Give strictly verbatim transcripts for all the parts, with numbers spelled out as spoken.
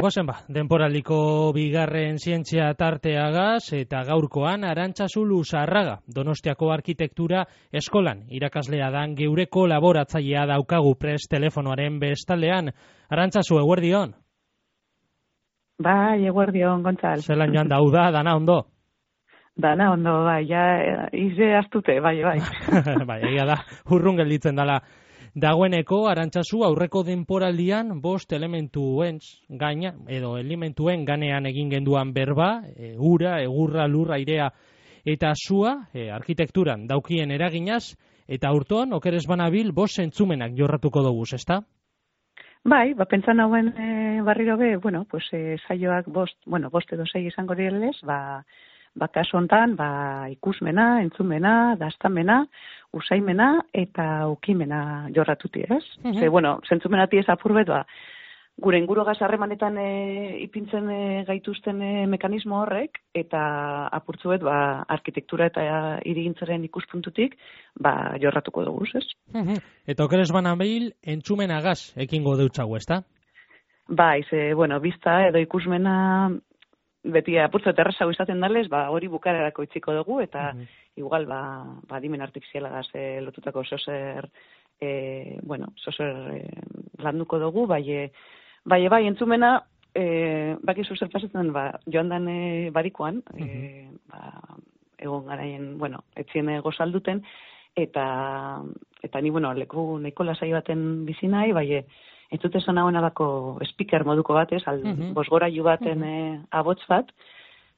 Goazen ba, denporaldiko bigarren zientzia tarteagaz eta gaurkoan Arantzazu Luzarraga, Donostiako arkitektura eskolan irakaslea dan geure kolaboratzailea daukagu prest telefonoaren bestaldean. Arantzazu, eguerdion? Bai, eguerdion, Gontzal. Zelan joan dauda, dana ondo? Dana ondo, bai, ja, ize astute, bai, bai. Bai, egia da, urrun gelditzen dala. Dagoeneko, Arantzazu, aurreko denporaldian bost elementuen gaina, edo elementuen ganean egin genduan berba, e, ura, egurra, lurra, airea eta zua, e, arkitekturan daukien eraginaz, eta urtoan, okeres banabil, bost zentzumenak jorratuko doguz, ezta? Bai, ba, pentsan hauen e, barriro be, bueno, pues, e, saioak bost, bueno, bost edo sei izango direlez, ba, ba, kasu hontan, ba, ikusmena, entzumena, daztamena, usaimena eta ukimena jorratuti, ez? Uh-huh. Ze, bueno, zentzumenati ez apurbet, ba, gure ingurugaz harremanetan e, ipintzen e, gaituzten e, mekanismo horrek, eta apurtzuet, ba, arkitektura eta hirigintzaren ikuspuntutik, ba, jorratuko dugu, ez? Uh-huh. Eta okeres banabil, entzumenagaz ekingo deutzago, ezta? Bai, ze, bueno, bizta edo ikusmena beti apurtzu eta errazago izaten dalez, ba, hori bukarerako itziko dugu, eta uh-huh. igual, ba, ba adimen artifizialagaz e, lotutako zozer, e, bueno, zozer e, landuko dugu, bai, e, bai, bai, entzumena, e, baki zozer pasetzen, ba, joan dan e, barikoan, uh-huh. e, ba, egon garaien, bueno, etzien gozalduten, eta, eta ni, bueno, leku nahiko lasai baten bizi nahi, bai, e, entzute zona hona bako speaker moduko bat, ez, al, uh-huh. bosgorailu baten uh-huh. e, abots bat.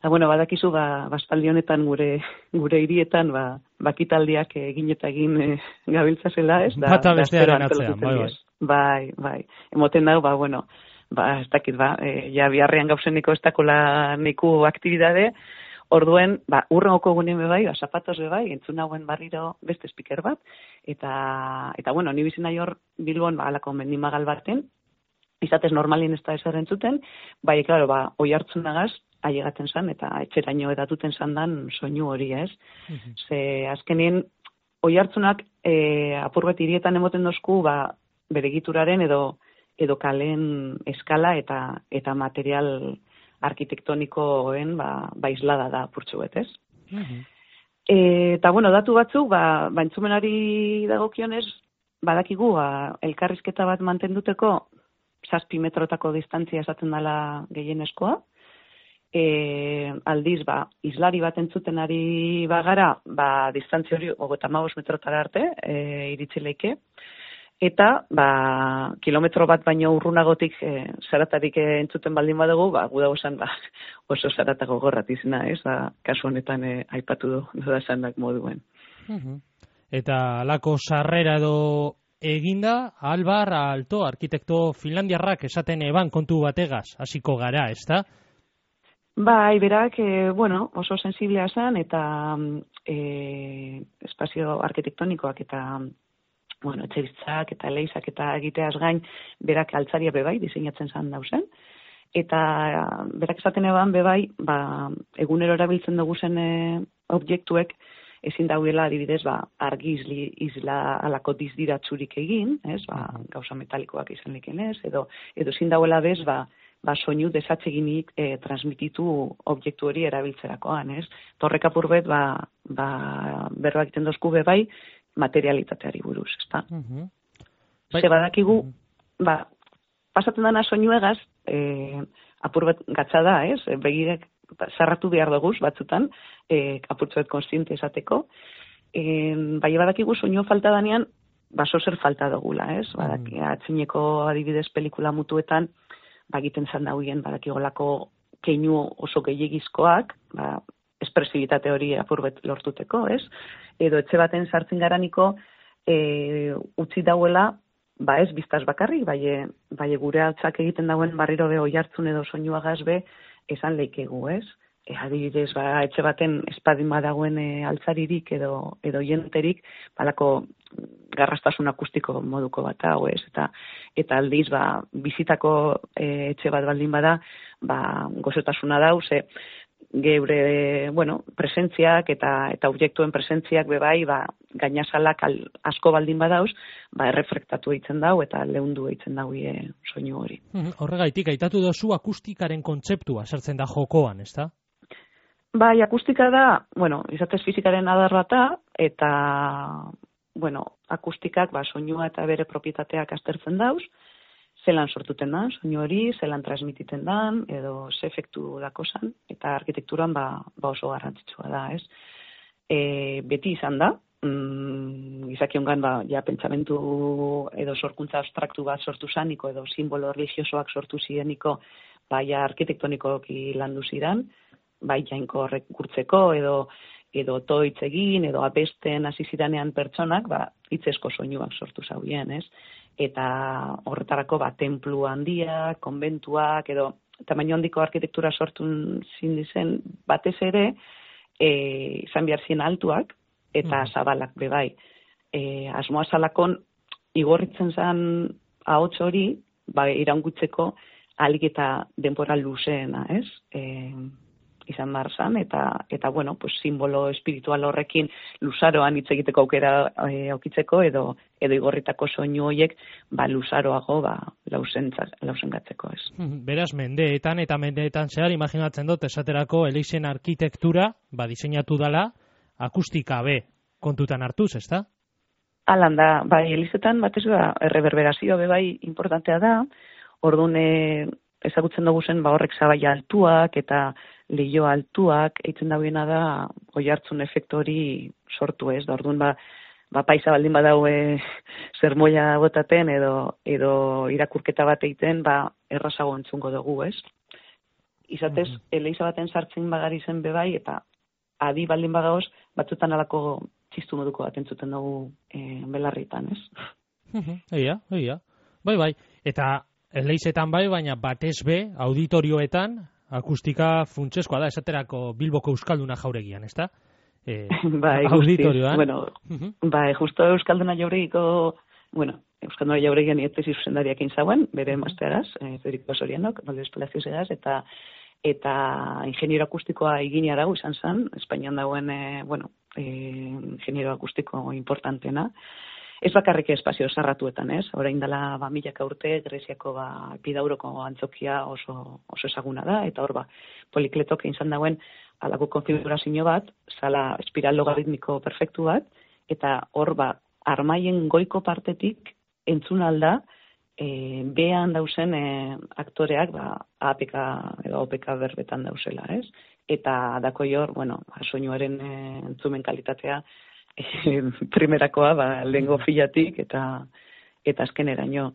Eta, bueno, badakizu, ba, baspaldi honetan gure gure hirietan, ba, bakitaldiak egin eta egin e, gabiltzazela, ez? Da, Bata bestearen atzean, bai, bai. Bai, bai. Emoten dago, ba, bueno, ba, ez dakit, ba, e, ja biharrean gauzeniko ez dakola neku aktibidade, orduen, ba, urrengoko gunean bebai, ba, zapatos bebai, entzun hauen barriro beste speaker bat, eta, eta bueno, ni bizina hor Bilbon, ba, alako mendimagal baten, izatez normalien ez da ezer entzuten, bai, klaro, ba, oi hartzunagaz, ailegatzen zan, eta etxeraino edatuten zan dan soinu hori, ez? Uh-huh. Ze, azkenien, oi hartzunak, e, apurbet hirietan emoten dozku, ba, bere egituraren edo, edo kalen eskala eta, eta material arkitektonikoen, ba, ba islada da apurtxuet, ez? Uh-huh. E, eta, bueno, datu batzuk, ba, ba entzumenari dagokionez, badakigu, ba, elkarrizketa bat mantenduteko, zazpi metrotako distantzia esaten dela gehieneskoa, e, aldiz, ba, islari bat entzuten ari bagara, ba, distantzia hori hogeita hamabost metrotara arte, e, iritsi leike, eta, ba, kilometro bat baino urrunagotik e, zaratarik e, entzuten baldin badugu, ba, gu dago zan, ba, oso zaratago gorrat izena, ez? Ba, kasu honetan e, aipatu du, da zandak moduen. Uh-huh. Eta alako sarrera edo eginda, Albar Alto, arkitekto finlandiarrak esaten eban kontu bategaz, hasiko gara, ez da? Bai, berak, e, bueno, oso sensiblea zan, eta e, espazio arkitektonikoak eta bueno, etxebitzak eta leizak eta egiteaz gain, berak altzaria bebai, diseinatzen zan dauzen. Eta berak esaten eban bebai, ba, egunero erabiltzen dugu zen e, objektuek, ezin dauela adibidez, ba, argi izli, izla alako dizdiratzurik egin, ez, ba, gauza metalikoak izan likenez, edo, edo ezin dauela bez, ba, ba, soinu desatseginik e, transmititu objektu hori erabiltzerakoan, ez. Torrek apurbet, ba, ba, berroak egiten dozku bebai, materialitateari buruz, ezta? Uh-huh. Ze badakigu, uh-huh. ba, pasatzen dana soinuegaz, e, apurbet gatza da, ez? Begirek zarratu behar duguz batzutan, e, apurtzuet konstiente esateko. E, bai, badakigu soinu falta danean, baso zer falta dugula, ez? Badaki, uh-huh. atzineko adibidez pelikula mutuetan, bagiten zan dauien, badakigolako keinu oso gehiagizkoak, ba, espresibitate hori apurbet lortuteko, ez? Edo etxe baten sartzen garaniko e, utzi dauela, ba ez biztaz bakarrik, bai, bai gure altzak egiten dauen barriro be oi hartzun edo soinuagaz be esan leikegu, ez? E, adibidez, ba, etxe baten espadin badagoen e, altzaririk edo, edo jenterik, balako garrastasun akustiko moduko bat hau, ez? Eta, eta aldiz, ba, bizitako e, etxe bat baldin bada, ba, gozotasuna dau, ze geure, bueno, presentziak eta eta objektuen presentziak bebai, ba, gainasalak al, asko baldin badauz, ba, erreflektatu eitzen dau eta leundu eitzen dau e, soinu hori. Horregaitik, aitatu dozu akustikaren kontzeptua sartzen da jokoan, ezta? Bai, akustika da, bueno, izatez fizikaren adar bata, eta, bueno, akustikak, ba, soinua eta bere propietateak aztertzen dauz, zelan sortuten da, soinu hori, zelan transmititen dan, edo ze efektu dakozan, eta arkitekturan ba, ba oso garrantzitsua da, ez? E, beti izan da, mm, gizakiongan ba, ja, pentsamentu edo sorkuntza abstraktu bat sortu zaniko, edo simbolo religiosoak sortu zireniko, ba, ja, arkitektonikoki landu zidan, bai, jainko horrek gurtzeko, edo edo toitz egin, edo abesten hasi ziranean pertsonak, ba, hitzezko soinuak sortu zauen, ez? Eta horretarako, ba, tenplu handiak, konbentuak, edo tamaino handiko arkitektura sortu zindizen, batez ere, e, izan behar zien altuak, eta mm. zabalak bebai. E, asmoa zalakon, igorritzen zen ahots hori, ba, iraungutzeko alik eta denbora luzeena, ez? E, izan behar zan, eta, eta bueno, pues, simbolo espiritual horrekin luzaroan hitz egiteko aukera e, aukitzeko, edo, edo igorritako soinu horiek ba, luzaroago ba, lausengatzeko, ez. Beraz, mendeetan eta mendeetan zehar, imaginatzen dut, esaterako Eleixen arkitektura, ba, diseinatu dala, akustika be kontutan hartuz, ezta? Alan da, bai, Elizetan batez da, erreberberazioa be bai importantea da, orduan ezagutzen dugu zen, ba, horrek zabaia altuak, eta lehio altuak, eitzen dauena da, oi hartzun efektu hori sortu ez, da orduan ba, ba paisa baldin badau e, zermoia botaten edo, edo irakurketa bat egiten, ba errazago entzungo dugu, ez? Izatez, mm -hmm. eleiza baten sartzen bagari zen bebai, eta adi baldin bagaoz, batzutan alako txistu moduko bat entzuten dugu e, belarritan, ez? Eia, eia. Bai, bai. Eta eleizetan bai, baina batez be, auditorioetan, akustika funtseskoa da, esaterako Bilboko Euskalduna jauregian, ezta? Eh, bai, auditorioan. Bueno, uh-huh. bai, justo Euskalduna jauregiko, bueno, Euskalduna jauregian ietzezi zuzendariak inzauen, bere masteraz, eh, Federico Sorianok, Noldes Palacios egaz, eta eta ingeniero akustikoa egin arago izan zen, Espainian dagoen, eh, bueno, eh, ingeniero akustiko importantena. Ez bakarrik espazio zarratuetan, ez? Orain dela ba, milaka urte, Greziako ba, Epidauroko antzokia oso, oso ezaguna da, eta hor ba, Polikletok izan dauen alako konfigurazio bat, zala espiral logaritmiko perfektu bat, eta hor ba, armaien goiko partetik entzun alda, e, behan dauzen e, aktoreak ba, A P K edo O P K berbetan dauzela, ez? Eta dako hor, bueno, ba, soinuaren e, entzumen kalitatea, primerakoa, ba, lehengo filatik eta eta azkeneraino.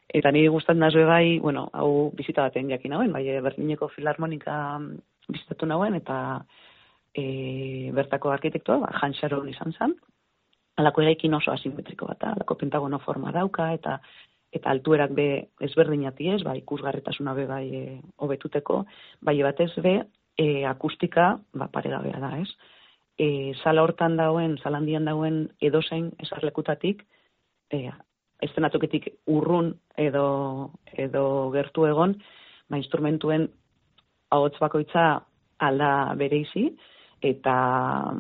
Eta niri gustatzen da bai, bueno, hau bizita baten jakin nauen, bai, Berlineko Filarmonika bizitatu nauen, eta e, bertako arkitektua, ba, Hans Scharoun izan zen, alako eraikin oso asimetriko bat, alako pentagono forma dauka, eta eta altuerak be ezberdinati ez, ba, ikusgarretasuna be bai e, hobetuteko, bai batez be, e, akustika, ba, paregabea da, ez? E, sala hortan dauen, salandian dauen edozein esarlekutatik, e, estenatoketik urrun edo, edo gertu egon, ba, instrumentuen ahots bakoitza alda bereizi, eta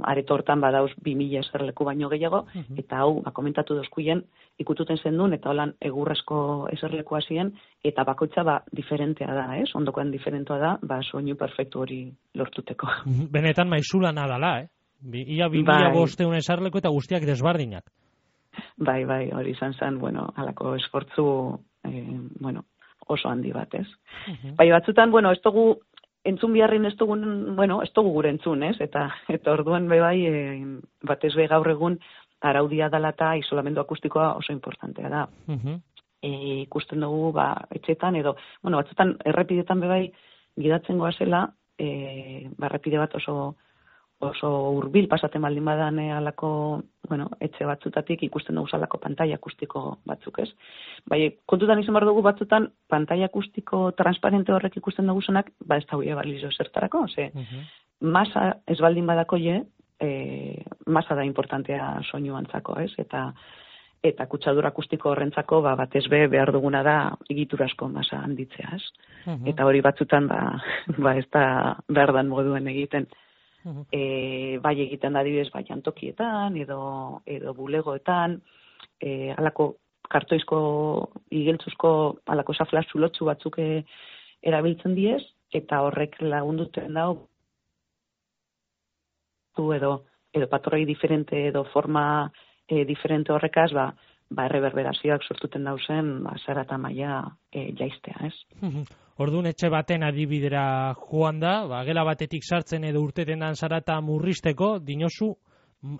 areto hortan badauz bi mila eserleku baino gehiago, uh-huh. eta hau, ba, komentatu dozkuien, ikututen zendun, eta holan egurrezko eserlekoa ziren, eta bakoitza ba, diferentea da, ez? Ondokoan diferentua da, ba, soinu perfektu hori lortuteko. Benetan maizulana dala, eh? Ia bi mila bosteun esarleko eta guztiak desbardinak. Bai, bai, hori izan zen, bueno, alako esfortzu, eh, bueno, oso handi bat, ez? Uh-huh. Bai, batzutan, bueno, ez dugu, entzun biharrin ez dugu, bueno, ez dugu gure entzun, ez? Eta, eta orduan, be bai, eh, batez be gaur egun, araudia dela eta isolamendu akustikoa oso importantea da. Uh-huh. E, ikusten dugu, ba, etxetan, edo, bueno, batzutan, errepidetan be bai, gidatzen goazela, e, ba, errepide bat oso, oso hurbil pasaten baldin badan alako, bueno, etxe batzutatik ikusten dugu alako pantaila akustiko batzuk, ez? Bai, kontutan izan behar dugu batzutan pantaila akustiko transparente horrek ikusten dugu zenak, ba ez da huia balizio zertarako, ze uh-huh. masa ez baldin badako je, e, masa da importantea soinu antzako, ez? Eta eta kutsadura akustiko horrentzako ba, batez be behar duguna da egiturazko masa handitzea, ez? Uh-huh. Eta hori batzutan ba, ba ez da behar dan moduen egiten. Uh-huh. E, bai egiten da adibidez bai jantokietan edo, edo bulegoetan, e, alako kartoizko igeltzuzko alako safla zulotzu batzuk e, erabiltzen diez, eta horrek lagunduten dau edo, edo patroi diferente edo forma e, diferente horrekaz, ba, ba erreberberazioak sortuten dauzen, ba, zarata maila e, jaistea, ez? Orduan etxe baten adibidera joan da, ba, gela batetik sartzen edo urteten dan zarata murrizteko, dinosu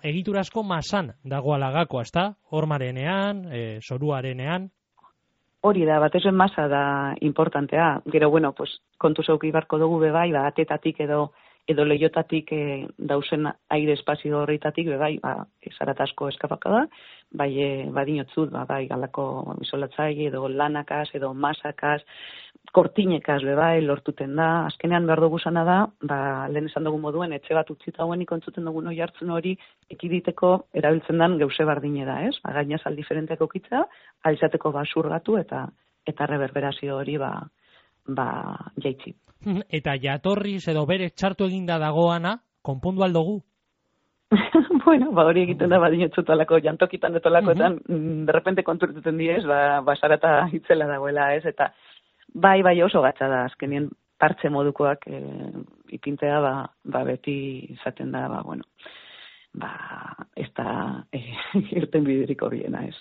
egiturazko masan dagoala gakoa, ezta? Hormarenean, e, zoruarenean. Hori da, batez masa da importantea. Gero, bueno, pues, kontu zeuki barko dugu bebai, ba, atetatik edo edo leiotatik e, dausen aire espazio horretatik, bebai, ba, zaratasko eskapaka da, bai, e, badinotzut, ba, bai, galako isolatzaile, edo lanakaz, edo masakaz, kortinekaz, bebai, lortuten da. Azkenean behar dugu zana da, ba, lehen esan dugu moduen, etxe bat utzita hauen ikontzuten dugu noi hartzen hori, ekiditeko erabiltzen den geuse bardine da, ez? Ba, gainazal diferenteak okitza, alizateko basurgatu eta eta reverberazio hori, ba, ba, jaitzi. Eta jatorriz edo bere txartu eginda dagoana, konpondu aldugu? Bueno, ba hori egiten da badinotzut alako jantokitan etolakoetan, uh-huh. derrepente konturtuten diez, ba, basarata hitzela dagoela, ez? Eta bai, bai oso gatza da, azkenien partxe modukoak e, ipintea, ba, ba beti izaten da, ba, bueno, ba, ez da e, irten bidiriko biena, ez.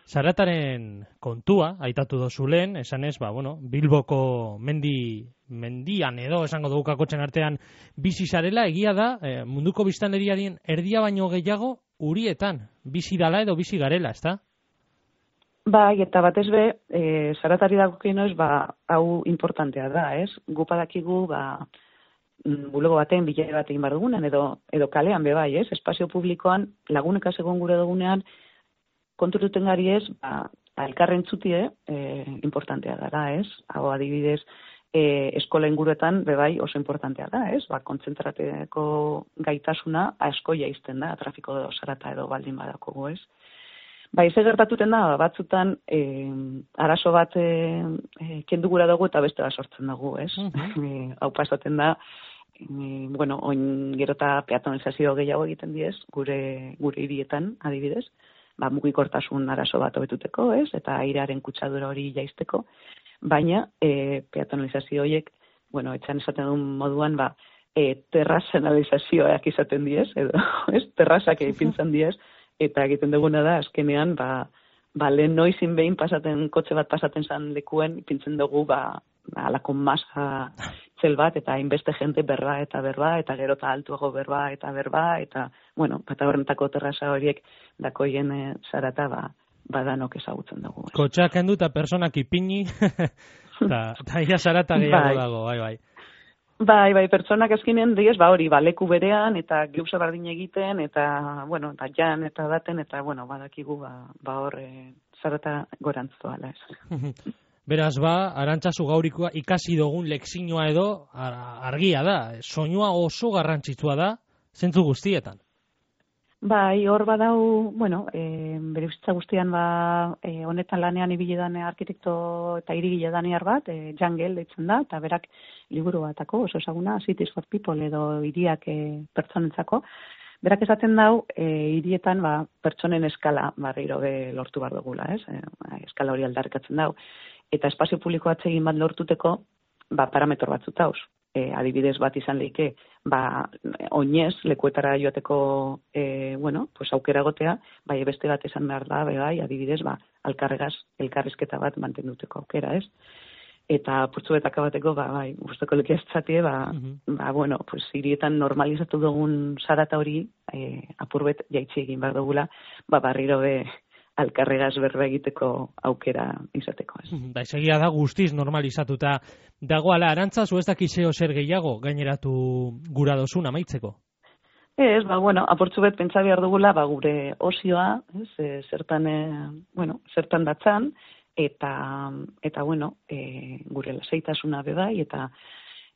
Zarataren kontua, aitatu dozu lehen, esan ez, ba, bueno, Bilboko mendi, mendian edo, esango dugu kakotxen artean, bizi zarela, egia da, e, munduko biztanleriaren erdia baino gehiago, urietan, bizi dala edo bizi garela, ezta? Bai, eta batez be, e, zaratari dagokienoz, ba, hau importantea da, ez? Gupadakigu, ba, bulego baten, bilere bat egin behar dugunean, edo, edo kalean be bai, ez? Espazio publikoan, laguneka segon gure dugunean, konturtuten gari ez, ba, elkarren txutie, e, importantea dara, ez? Hau adibidez, e, eskola inguruetan, be bai, oso importantea da, ez? Ba, kontzentrateko gaitasuna asko jaizten da, trafiko edo zarata edo baldin badakogu, ez? Ba, ize gertatuten da, batzutan, e, arazo bat e, e, kendu gura dugu eta beste bat sortzen dugu, ez? Uh-huh. E, hau pasaten da, e, bueno, oin gerota peatonalizazio gehiago egiten diez, gure, gure hirietan, adibidez, ba, mugikortasun arazo bat hobetuteko, ez? Eta airearen kutsadura hori jaisteko, baina e, peatonalizazio horiek, bueno, etxan esaten duen moduan, ba, e, terrazanalizazioak izaten diez, edo, ez? Terrazak ipintzen diez, eta egiten duguna da, azkenean, ba, ba lehen noizin behin pasaten, kotxe bat pasaten zan lekuen, ipintzen dugu, ba, alako masa txel bat, eta hainbeste jente berba eta berba, eta gero eta altuago berba eta berba, eta, bueno, eta horrentako terraza horiek dakoien e, zarata, ba, badanok ezagutzen dugu. Kotxeak hendu eta personak ipini, eta ia zarata gehiago bai. Dago, bai, bai. Bai, bai, pertsonak azkenean diez, ba hori, ba, leku berean, eta geuza bardin egiten, eta, bueno, eta jan, eta daten, eta, bueno, badakigu, ba, ba hor, e, zarata gorantzu ala ez. Beraz, ba, Arantzazu Gaurikoa ikasi dugun lekzioa edo argia da, soinua oso garrantzitsua da, zentzu guztietan. Bai, hor badau, bueno, e, bere bizitza guztian, ba, e, honetan lanean ibile dane arkitekto eta hirigile daniar bat, e, Jangel deitzen da, eta berak liburu batako, oso esaguna, Cities for People edo hiriak e, pertsonentzako. Berak esaten dau, e, hirietan, ba, pertsonen eskala barriro be lortu bar dugula, ez? E, eskala hori aldarrikatzen dau. Eta espazio publiko atsegin bat lortuteko, ba, parametro batzut dauz. E, adibidez bat izan leike, ba, oinez, lekuetara joateko, e, bueno, pues aukera gotea, bai, beste bat esan behar da, bai, adibidez, ba, alkarregaz, elkarrizketa bat mantenduteko aukera, ez? Eta purtsuetak abateko, ba, bai, guztoko lekia estzatie, ba, uh-huh. ba, bueno, pues, hirietan normalizatu dugun zarata hori, e, apurbet jaitsi egin behar dugula, ba, barriro be, alkarregaz berba egiteko aukera izateko, ez. Da, esegia da guztiz normalizatuta dagoala. Arantzazu ez dakizeo zer gehiago gaineratu gura dozun amaitzeko? Ez, ba, bueno, aportzu bet pentsa behar dugula, ba, gure osioa, ez, e, zertan, e, bueno, zertan datzan, eta, eta bueno, e, gure lasaitasuna bebai, eta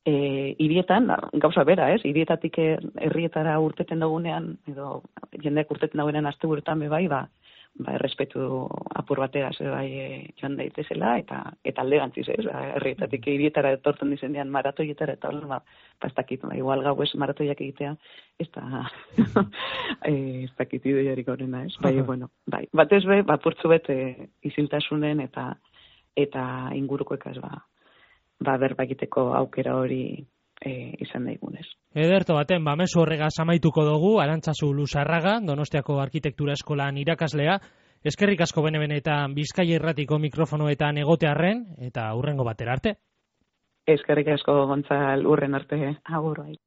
e, hirietan, gauza bera, ez, hirietatik herrietara urteten dugunean, edo jendeak urteten dugunean asteburuetan bebai, ba, ba, errespetu apur batera ze bai e, joan daitezela, eta eta alderantziz, ez, ba, herrietatik hirietara etortzen dizenean maratoietara, eta hola, ba, ba, ez dakit, ba, igual gau ez maratoiak egitea, ez da, e, ez dakit ideiarik horrena, ez, bai, bueno, bai, batez be, ba, purtzu bet e, iziltasunen eta eta ingurukoekaz, ba, ba, berba egiteko aukera hori e, izan daigunez. Ederto baten, ba, mezu horregaz amaituko dugu, Arantzazu Luzarraga, Donostiako Arkitektura Eskolan irakaslea, eskerrik asko bene-benetan Bizkaia Irratiko mikrofonoetan egotearren, eta hurrengo batera arte. Eskerrik asko Gontzal, urren arte, agur bai.